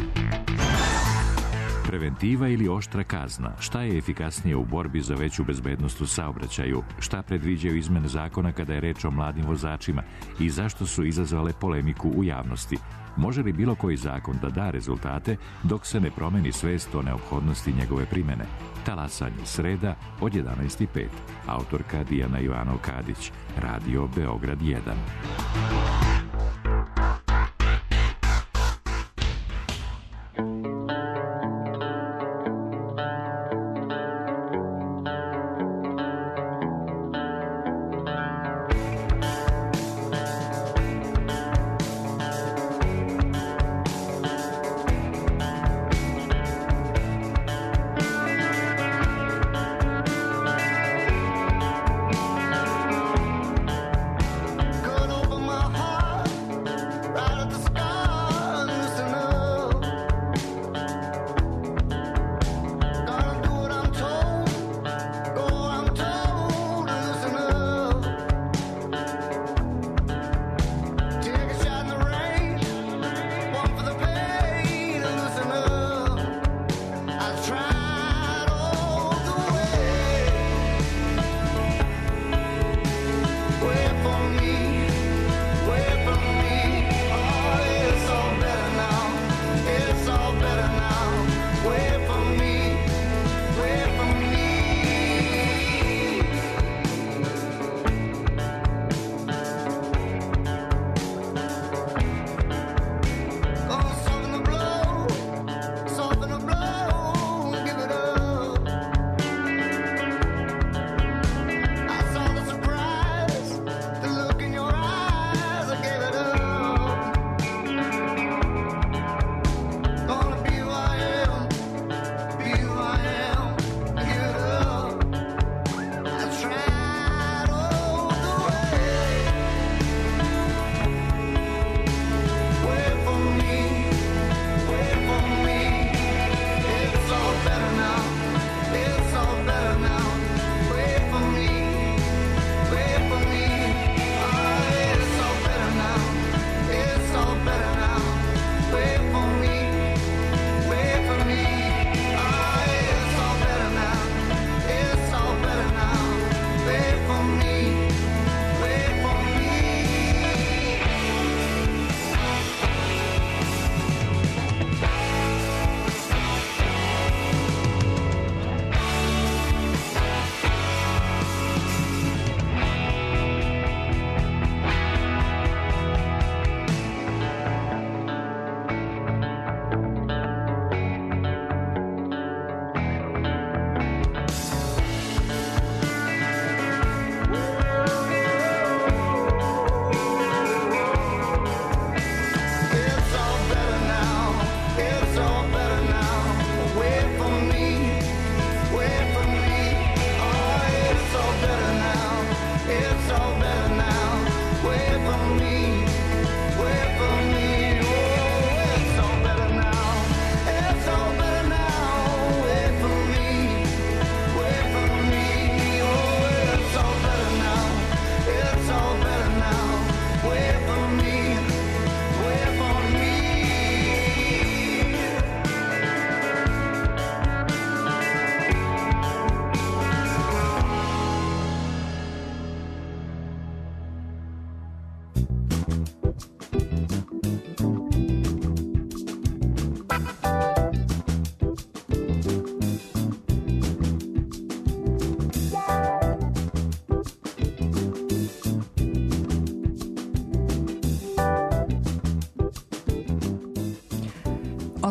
Preventiva ili oštra kazna? Šta je efikasnije u borbi za veću bezbednost u saobraćaju? Šta predviđaju izmene zakona kada je reč o mladim vozačima? I zašto su izazvale polemiku u javnosti? Može li bilo koji zakon da da rezultate dok se ne promeni svest o neophodnosti njegove primene? Talasanje, sreda od jedanaest i pet. Autorka Dijana Ivanov-Kadić. Radio Beograd jedan. Cut over my heart.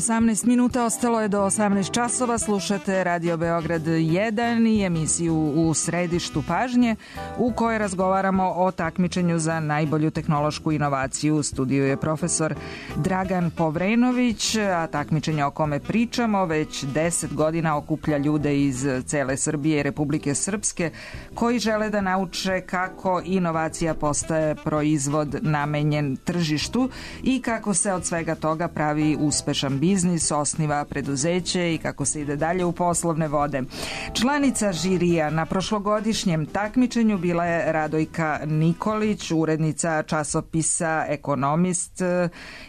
osamnaest minuta, ostalo je do osamnaest časova, slušate Radio Beograd jedan i emisiju U središtu pažnje u kojoj razgovaramo o takmičenju za najbolju tehnološku inovaciju. U studiju je profesor Dragan Povrenović, a takmičenje o kome pričamo već deset godina okuplja ljude iz cele Srbije i Republike Srpske koji žele da nauče kako inovacija postaje proizvod namenjen tržištu i kako se od svega toga pravi uspešan biznis, osniva preduzeće i kako se ide dalje u poslovne vode. Članica žirija na prošlogodišnjem takmičenju bila je Radojka Nikolić, urednica časopisa Ekonomist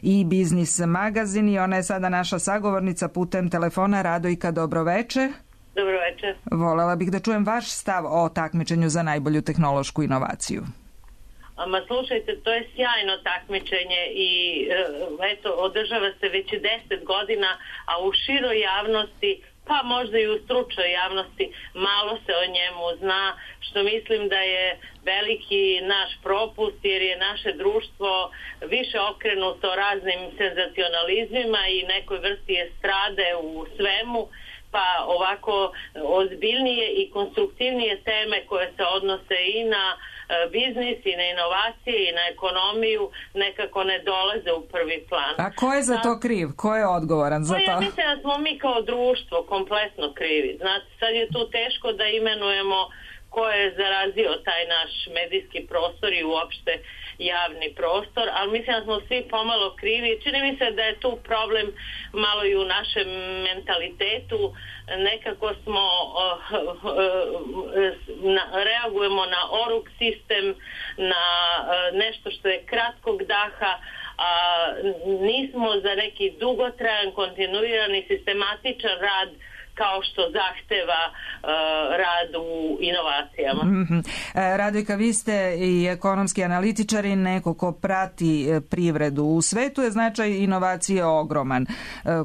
i Biznis magazin i ona je sada naša sagovornica putem telefona. Radojka, dobroveče. Dobroveče. Volela bih da čujem vaš stav o takmičenju za najbolju tehnološku inovaciju. Ma slušajte, to je sjajno takmičenje i eto, održava se već deset godina, a u široj javnosti, pa možda i u stručnoj javnosti, malo se o njemu zna, što mislim da je veliki naš propust, jer je naše društvo više okrenuto raznim senzacionalizmima i nekoj vrsti estrade u svemu, pa ovako ozbiljnije i konstruktivnije teme koje se odnose i na biznis i na inovacije i na ekonomiju nekako ne dolaze u prvi plan. A ko je za to kriv? Ko je odgovoran za to? Ja mislim da smo mi kao društvo kompletno krivi. Znate, sad je tu teško da imenujemo ko je zarazio taj naš medijski prostor i uopšte javni prostor, ali mislim da smo svi pomalo krivi. Čini mi se da je tu problem malo i u našem mentalitetu. Nekako smo uh, uh, na, reagujemo na oruk sistem, na uh, nešto što je kratkog daha, a nismo za neki dugotrajan, kontinuirani, sistematičan rad kao što zahteva uh, rad u inovacijama. Mm-hmm. Radojka, vi ste i ekonomski analitičar i neko ko prati privredu. U svetu je značaj inovacije ogroman.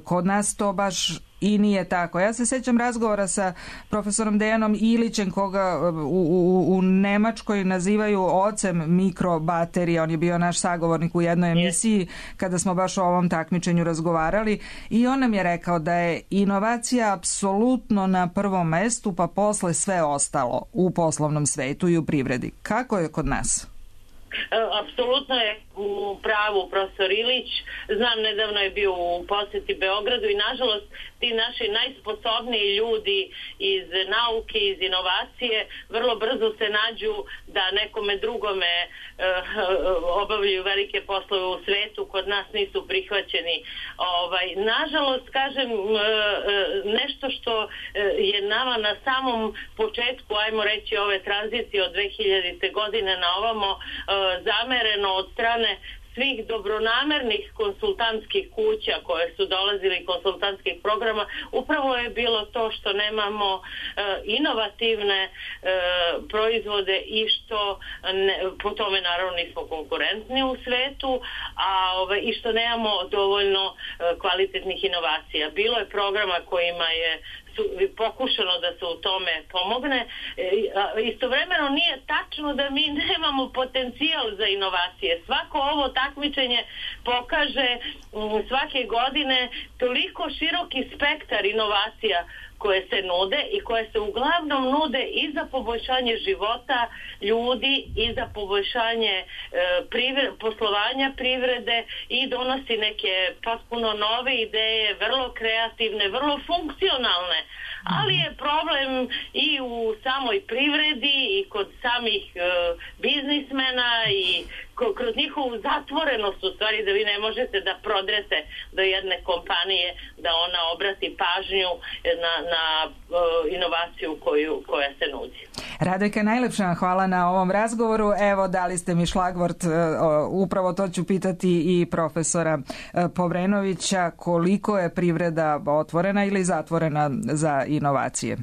Kod nas to baš i nije tako. Ja se sećam razgovora sa profesorom Dejanom Ilićem, koga u, u, u Nemačkoj nazivaju ocem mikrobaterija. On je bio naš sagovornik u jednoj emisiji kada smo baš o ovom takmičenju razgovarali i on nam je rekao da je inovacija apsolutno na prvom mestu, pa posle sve ostalo u poslovnom svetu i u privredi. Kako je kod nas? Apsolutno je u pravu profesor Ilić. Znam, nedavno je bio u posjeti Beogradu i nažalost ti naši najsposobniji ljudi iz nauke, iz inovacije vrlo brzo se nađu da nekome drugome uh, obavljaju velike poslove u svetu, kod nas nisu prihvaćeni. Ovaj, nažalost, kažem, uh, nešto što je nama na samom početku, ajmo reći, ove tranzicije od dve hiljadite godine na ovamo uh, zamereno od strane svih dobronamernih konsultantskih kuća koje su dolazili, konsultantskih programa, upravo je bilo to što nemamo e, inovativne e, proizvode i što ne, po tome naravno nismo konkurentni u svetu, a ove, i što nemamo dovoljno e, kvalitetnih inovacija. Bilo je programa kojima je pokušano da se u tome pomogne. Istovremeno nije tačno da mi nemamo potencijal za inovacije. Svako ovo takmičenje pokaže svake godine toliko široki spektar inovacija koje se nude i koje se uglavnom nude i za poboljšanje života ljudi i za poboljšanje e, privre, poslovanja privrede i donosi neke potpuno nove ideje, vrlo kreativne, vrlo funkcionalne, ali je problem i u samoj privredi i kod samih e, biznismena i kroz njihovu zatvorenost, u stvari da vi ne možete da prodrete do jedne kompanije, da ona obrati pažnju na, na uh, inovaciju koju, koja se nudi. Radojka, najlepša vam hvala na ovom razgovoru. Evo, dali ste mi šlagvort, uh, upravo to ću pitati i profesora uh, Povrenovića, koliko je privreda otvorena ili zatvorena za inovacije?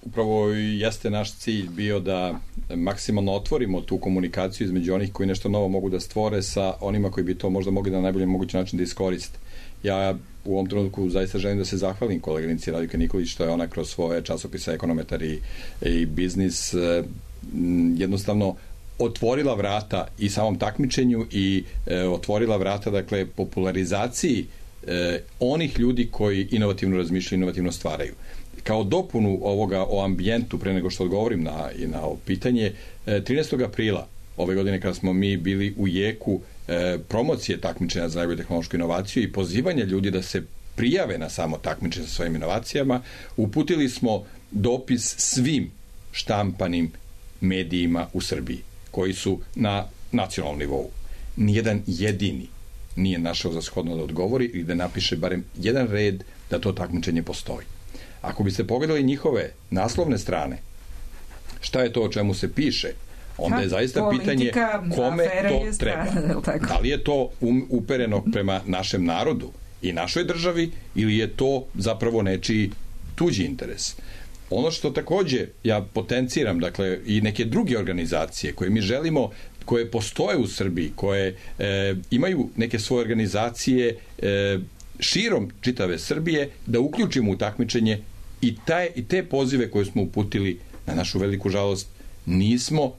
upravo jeste naš cilj bio da maksimalno otvorimo tu komunikaciju između onih koji nešto novo mogu da stvore sa onima koji bi to možda mogli na najbolji mogući način da iskoriste. Ja u ovom trenutku zaista želim da se zahvalim koleginici Radika Nikolić što je ona kroz svoje časopise Ekonometar i, i Biznis jednostavno otvorila vrata i samom takmičenju i e, otvorila vrata, dakle, popularizaciji e, onih ljudi koji inovativno razmišljaju, inovativno stvaraju. Kao dopunu ovoga o ambijentu, pre nego što odgovorim na, i na ovo pitanje, e, trinaestog aprila ove godine, kada smo mi bili u jeku e, promocije takmičenja za najbolju tehnološku inovaciju i pozivanja ljudi da se prijave na samo takmičenje sa svojim inovacijama, uputili smo dopis svim štampanim medijima u Srbiji koji su na nacionalnom nivou. Nijedan jedini nije našao za shodno da odgovori ili da napiše barem jedan red da to takmičenje postoji. Ako biste pogledali njihove naslovne strane, šta je to o čemu se piše, onda je zaista pitanje kome to treba. Da li je to um, upereno prema našem narodu i našoj državi ili je to zapravo nečiji tuđi interes. Ono što takođe ja potenciram, dakle, i neke druge organizacije koje mi želimo, koje postoje u Srbiji, koje e, imaju neke svoje organizacije e, širom čitave Srbije, da uključimo u takmičenje i, taj, i te pozive koje smo uputili, na našu veliku žalost, nismo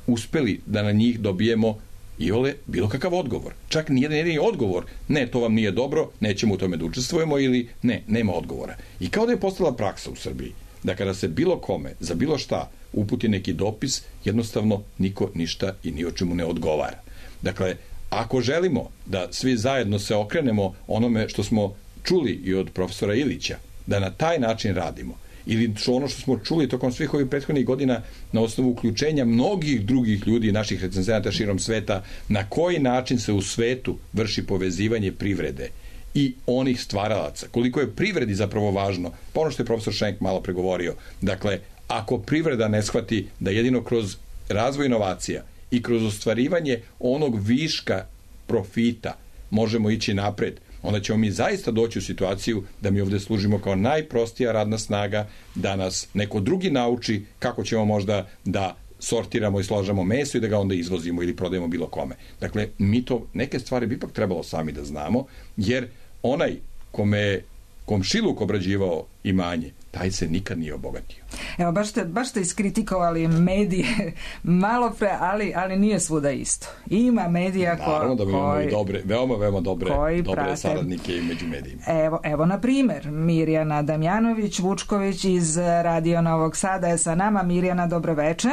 uspeli da na njih dobijemo i ole bilo kakav odgovor. Čak nijedan jedini odgovor, ne, to vam nije dobro, nećemo u tome da učestvujemo ili ne, nema odgovora. I kao da je postala praksa u Srbiji, da kada se bilo kome, za bilo šta, uputi neki dopis, jednostavno niko ništa i ni o čemu ne odgovara. Dakle, ako želimo da svi zajedno se okrenemo onome što smo čuli i od profesora Ilića, da na taj način radimo, ili što ono što smo čuli tokom svih ovih prethodnih godina na osnovu uključenja mnogih drugih ljudi, naših recenzenata širom sveta, na koji način se u svetu vrši povezivanje privrede i onih stvaralaca. Koliko je privredi zapravo važno, pa ono što je profesor Šenk malo pregovorio, dakle, ako privreda ne shvati da jedino kroz razvoj inovacija i kroz ostvarivanje onog viška profita možemo ići napred, onda ćemo mi zaista doći u situaciju da mi ovde služimo kao najprostija radna snaga, da nas neko drugi nauči kako ćemo možda da sortiramo i složamo meso i da ga onda izvozimo ili prodajemo bilo kome. Dakle, mi to, neke stvari bi ipak trebalo sami da znamo, jer onaj kome komšiluk obrađivao imanje, taj se nikad nije obogatio. Evo, baš ste, baš ste iskritikovali medije malo pre, ali, ali nije svuda isto. Ima medija ko, naravno da mi imamo koji, i dobre, veoma, veoma dobre, dobre prate. saradnike i među medijima. Evo, evo na primer, Mirjana Damjanović-Vučković iz Radio Novog Sada je sa nama. Mirjana, dobroveče.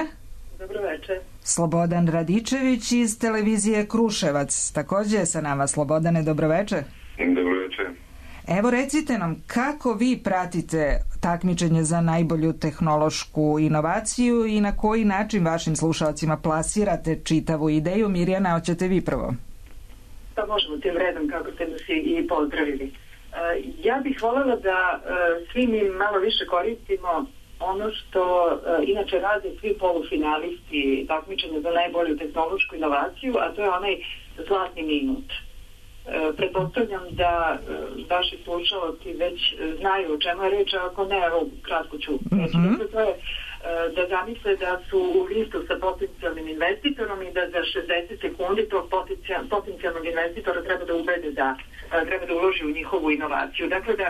Dobroveče. Slobodan Radičević iz televizije Kruševac takođe je sa nama. Slobodane, dobroveče. Dobroveče. Evo, recite nam kako vi pratite takmičenje za najbolju tehnološku inovaciju i na koji način vašim slušalcima plasirate čitavu ideju. Mirjana, hoćete vi prvo? Pa možemo tim redom, kako ste nas i pozdravili. Ja bih voljela da svi mi malo više koristimo ono što inače rade svi polufinalisti takmičenja za najbolju tehnološku inovaciju, a to je onaj zlatni minut. Pretpostavljam da vaši slušalci već znaju o čemu je reč, a ako ne, evo, kratko ću reći. Mm-hmm. To je da zamisle da su u listu sa potencijalnim investitorom i da za šezdeset sekundi tog potencijalnog investitora treba da ubede da treba da uloži u njihovu inovaciju. Dakle, da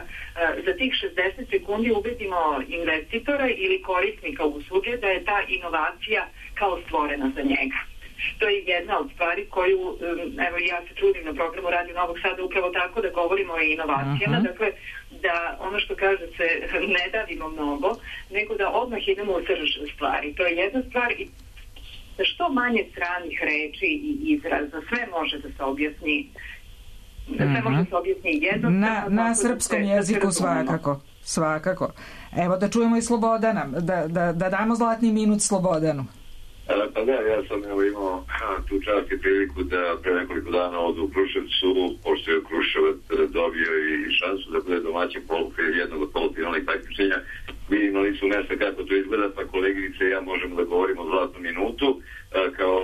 za tih šezdeset sekundi ubedimo investitora ili korisnika usluge da je ta inovacija kao stvorena za njega. To je jedna od stvari koju, evo, ja se trudim na programu Radio Novog Sada upravo tako da govorimo o inovacijama, uh-huh. Dakle, da ono što kaže se ne davimo mnogo, nego da odmah idemo u srž stvari. To je jedna stvar i da što manje stranih reči i izraza, sve može da se objasni, sve uh-huh. može da se objasni jednostavno. Na, na srpskom da se, jeziku da svakako, svakako. Evo da čujemo i Slobodana, da, da, da damo zlatni minut Slobodanu. Pa da, ja sam evo imao tu čast i priliku da pre nekoliko dana odu u Kruševcu, pošto je Kruševac dobio i šansu da bude domaćin polufinala, jednog od polufinalnih takmičenja. Vidim na licu mesta kako to izgleda, pa koleginice i ja možemo da govorimo o zlatnom minutu kao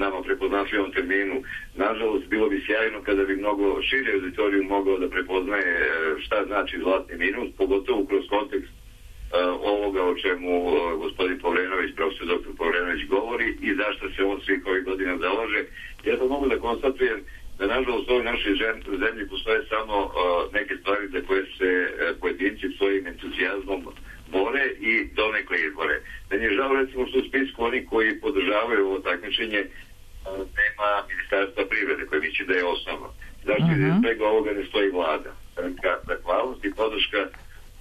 nama prepoznatljivom terminu. Nažalost, bilo bi sjajno kada bi mnogo širi auditoriju mogao da prepoznaje šta znači zlatni minut, pogotovo kroz kontekst o čemu gospodin Povrenović, profesor doktor Povrenović govori i zašto se on svih ovih godina zalaže. Ja to mogu da konstatujem da nažalost u ovoj našoj zemlji postoje samo uh, neke stvari za koje se uh, pojedinci svojim entuzijazmom bore i donekle izbore. Meni je žao recimo što u spisku oni koji podržavaju ovo takmičenje uh, nema Ministarstva privrede koje misli da je osnovno. Zašto uh-huh. iz svega ovoga ne stoji vlada? Zahvalnost i podrška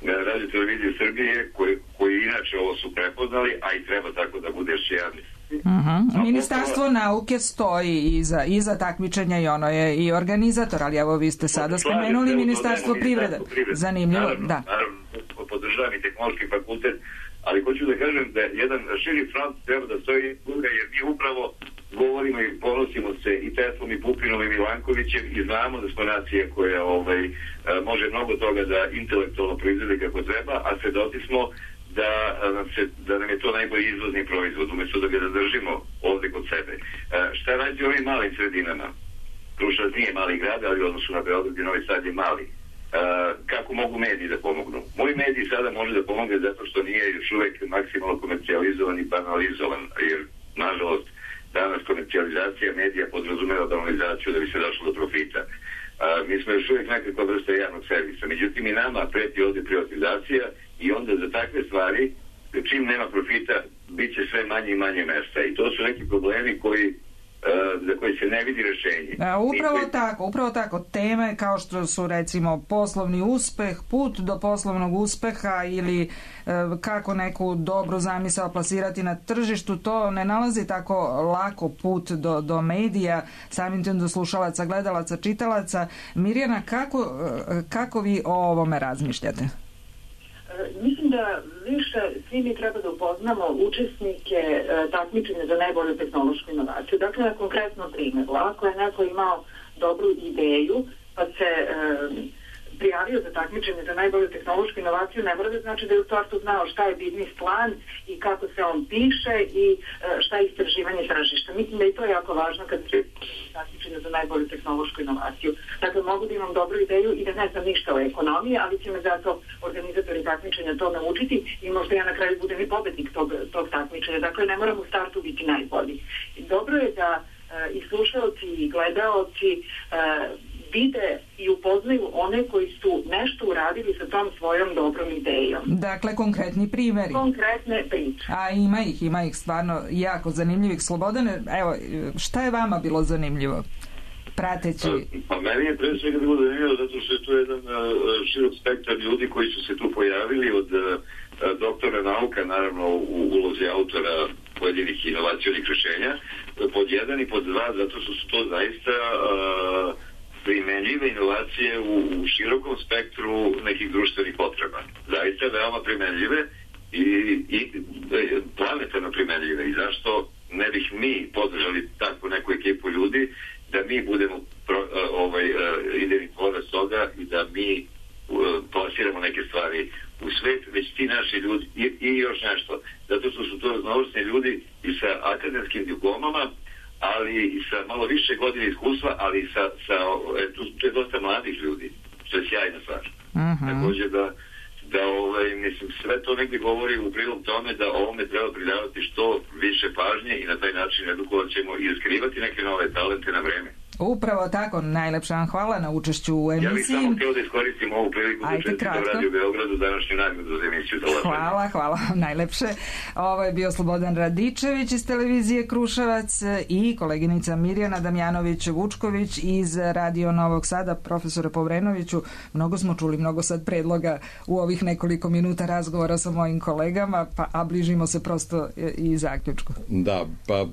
Radio televizije Srbije koji, koji inače ovo su prepoznali, a i treba tako da bude još jedan. Uh-huh. Ministarstvo poslova... nauke stoji iza, iza takmičenja i ono je i organizator, ali evo vi ste sada spomenuli Ministarstvo privrede. Zanimljivo, naravno, da. Naravno, podržavam i Tehnološki fakultet, ali hoću da kažem da jedan širi front treba da stoji jer mi upravo govorimo i ponosimo se i Teslom i Pupinom i Milankovićem i znamo da smo nacija koja ovaj, može mnogo toga da intelektualno proizvede kako treba, a svedoci smo da nam, se, da nam je to najbolji izvozni proizvod, umjesto da ga zadržimo ovde kod sebe. Šta radi ovim malim sredinama? Kruševac nije mali grad, ali u odnosu na Beograd i Novi Sad je mali. Kako mogu mediji da pomognu? Moji mediji sada može da pomogne zato što nije još uvek maksimalno komercijalizovan i banalizovan, jer nažalost danas komercijalizacija medija podrazumeva banalizaciju da bi se došlo do profita. A, mi smo još uvijek nekakva vrsta javnog servisa. Međutim, i nama preti ovdje privatizacija i onda za takve stvari, čim nema profita, bit će sve manje i manje mesta. I to su neki problemi koji za koji se ne vidi rešenje. A, upravo koji... tako, upravo tako. Teme kao što su recimo poslovni uspeh, put do poslovnog uspeha ili e, kako neku dobru zamisao plasirati na tržištu, to ne nalazi tako lako put do, do medija, samim tim do slušalaca, gledalaca, čitalaca. Mirjana, kako, kako vi o ovome razmišljate? Mislim da više svi mi treba da upoznamo učesnike e, takmičenja za najbolju tehnološku inovaciju. Dakle, na konkretnom primjeru, ako je neko imao dobru ideju, pa se e, prijavio za takmičenje za najbolju tehnološku inovaciju, ne mora da znači da je u startu znao šta je biznis plan i kako se on piše i e, šta je istraživanje tržišta. Mislim da i to je jako važno kad se takmičenje za najbolju tehnološku inovaciju. Dakle, mogu da imam dobru ideju i da ne znam ništa o ekonomiji, ali će me zato organizatori takmičenja to naučiti i možda ja na kraju budem i pobednik tog, tog takmičenja. Dakle, ne moram u startu biti najbolji. I dobro je da e, i slušalci i gledaoci e, vide i upoznaju one koji su nešto uradili sa tom svojom dobrom idejom. Dakle, konkretni primjeri. Konkretne priče. A ima ih, ima ih stvarno jako zanimljivih. Slobodane, evo, šta je vama bilo zanimljivo? Prateći... Pa, pa meni je pre svega bilo zanimljivo zato što je to jedan uh, širok spektar ljudi koji su se tu pojavili od uh, doktora nauka, naravno u ulozi autora pojedinih inovacijnih rešenja, pod jedan i pod dva, zato što su to zaista uh, primenljive inovacije u, u širokom spektru nekih društvenih potreba. Zaista veoma primenljive i, i planetarno primenljive. I zašto ne bih mi podržali takvu neku ekipu ljudi da mi budemo pro, ovaj, idejni tvorac toga i da mi plasiramo neke stvari u svet, već ti naši ljudi i, i još nešto. Zato što su to raznovrsni ljudi i sa akademskim diplomama, ali i sa malo više godine iskustva, ali i sa, sa tu, tu je dosta mladih ljudi, što je sjajna stvar. Uh-huh. Također da, da ovaj, mislim, sve to negdje govori u prilog tome da ovome treba pridavati što više pažnje i na taj način edukovat ćemo i skrivati neke nove talente na vreme. Upravo tako, najlepša vam hvala na učešću u emisiji. Ja bih samo htio da iskoristim ovu priliku da čestitam Radio Beogradu današnju nagradu za emisiju. Hvala, hvala, najlepše. Ovo je bio Slobodan Radičević iz televizije Kruševac i koleginica Mirjana Damjanović-Vučković iz Radio Novog Sada. Profesore Povrenoviću, mnogo smo čuli, mnogo sad predloga u ovih nekoliko minuta razgovora sa mojim kolegama, pa a bližimo se prosto i zaključku. Da, pa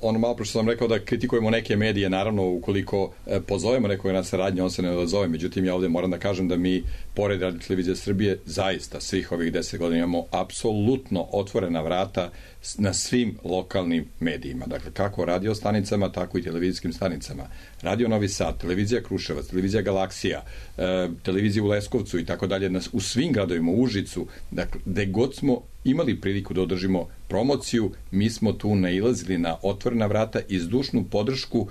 ono malo što sam rekao da kritikujemo neke medije, naravno ukoliko e, pozovemo nekoga na saradnju, on se ne odazove. Međutim, ja ovdje moram da kažem da mi, pored Radio televizije Srbije, zaista svih ovih deset godina imamo apsolutno otvorena vrata na svim lokalnim medijima. Dakle, kako radio stanicama, tako i televizijskim stanicama. Radio Novi Sad, televizija Kruševac, televizija Galaksija, e, televizija u Leskovcu i tako dalje, u svim gradovima, u Užicu, dakle, gde god smo imali priliku da održimo promociju, mi smo tu nailazili na otvorena vrata i zdušnu podršku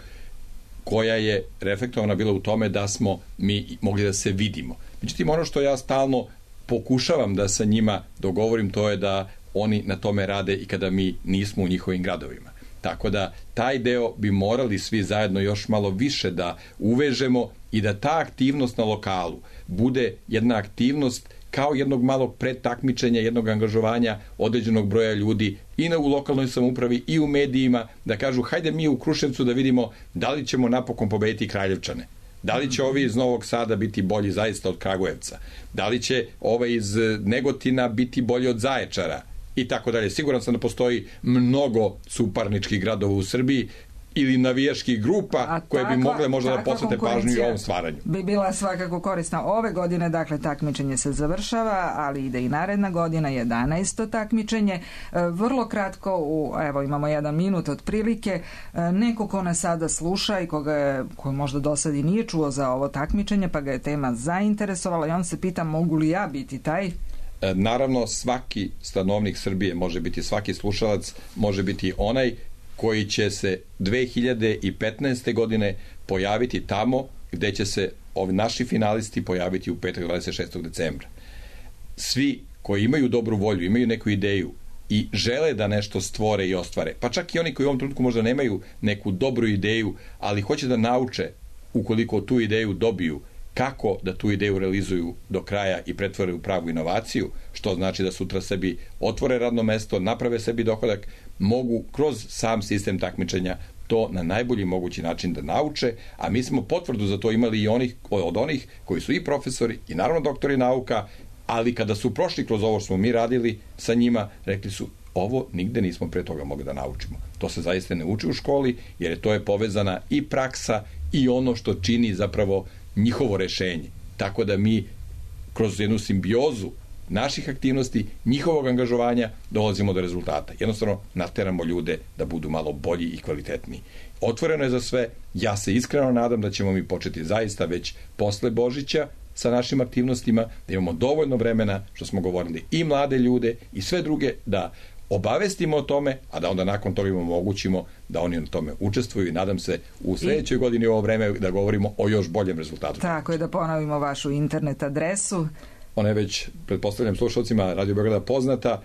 koja je reflektovana bila u tome da smo mi mogli da se vidimo. Međutim, ono što ja stalno pokušavam da sa njima dogovorim, to je da oni na tome rade i kada mi nismo u njihovim gradovima. Tako da taj deo bi morali svi zajedno još malo više da uvežemo i da ta aktivnost na lokalu bude jedna aktivnost kao jednog malog predtakmičenja, jednog angažovanja određenog broja ljudi i na, u lokalnoj samoupravi i u medijima, da kažu hajde mi u Kruševcu da vidimo da li ćemo napokon pobediti Kraljevčane. Da li će ovi iz Novog Sada biti bolji zaista od Kragujevca? Da li će ovaj iz Negotina biti bolji od Zaječara? I tako dalje. Siguran sam da postoji mnogo suparničkih gradova u Srbiji ili navijaških grupa a koje takva, bi mogle možda da posvete pažnju i ovom stvaranju. Bi bila svakako korisna ove godine, dakle takmičenje se završava, ali ide i naredna godina, jedanaesto takmičenje. Vrlo kratko, u, evo imamo jedan minut otprilike, neko ko nas sada sluša i koga je, ko možda do sad i nije čuo za ovo takmičenje, pa ga je tema zainteresovala i on se pita mogu li ja biti taj? Naravno, svaki stanovnik Srbije može biti, svaki slušalac može biti onaj koji će se dve hiljade petnaeste. godine pojaviti tamo gde će se ovi naši finalisti pojaviti u petak dvadeset šestog decembra. Svi koji imaju dobru volju, imaju neku ideju i žele da nešto stvore i ostvare, pa čak i oni koji u ovom trenutku možda nemaju neku dobru ideju, ali hoće da nauče ukoliko tu ideju dobiju, kako da tu ideju realizuju do kraja i pretvore u pravu inovaciju, što znači da sutra sebi otvore radno mesto, naprave sebi dohodak, mogu kroz sam sistem takmičenja to na najbolji mogući način da nauče, a mi smo potvrdu za to imali i onih, od onih koji su i profesori i naravno doktori nauka, ali kada su prošli kroz ovo što smo mi radili sa njima, rekli su ovo nigde nismo pre toga mogli da naučimo. To se zaista ne uči u školi, jer je to je povezana i praksa i ono što čini zapravo njihovo rešenje. Tako da mi kroz jednu simbiozu naših aktivnosti, njihovog angažovanja dolazimo do rezultata. Jednostavno nateramo ljude da budu malo bolji i kvalitetniji. Otvoreno je za sve. Ja se iskreno nadam da ćemo mi početi zaista već posle Božića sa našim aktivnostima, da imamo dovoljno vremena, što smo govorili, i mlade ljude i sve druge da obavestimo o tome, a da onda nakon toga im omogućimo da oni na tome učestvuju i nadam se u sljedećoj godini u ovo vreme da govorimo o još boljem rezultatu. Tako je, da ponovimo vašu internet adresu. Ona je već, pretpostavljam slušalcima Radio Beograda poznata,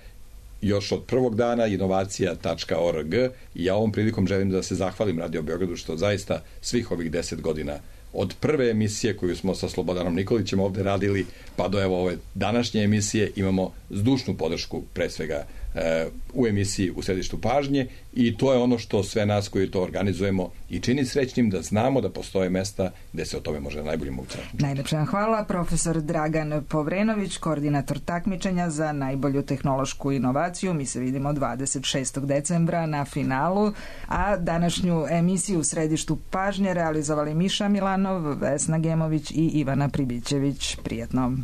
još od prvog dana inovacija tačka org i ja ovom prilikom želim da se zahvalim Radio Beogradu što zaista svih ovih deset godina od prve emisije koju smo sa Slobodanom Nikolićem ovde radili pa do evo ove današnje emisije imamo zdušnu podršku pre svega e, u emisiji U središtu pažnje i to je ono što sve nas koji to organizujemo i čini srećnim da znamo da postoje mesta gde se o tome može na najbolji mogući način. Najlepša vam hvala, profesor Dragan Povrenović, koordinator takmičenja za najbolju tehnološku inovaciju. Mi se vidimo dvadeset šestog decembra na finalu, a današnju emisiju U središtu pažnje realizovali Miša Milanov, Vesna Gemović i Ivana Pribićević. Prijetno.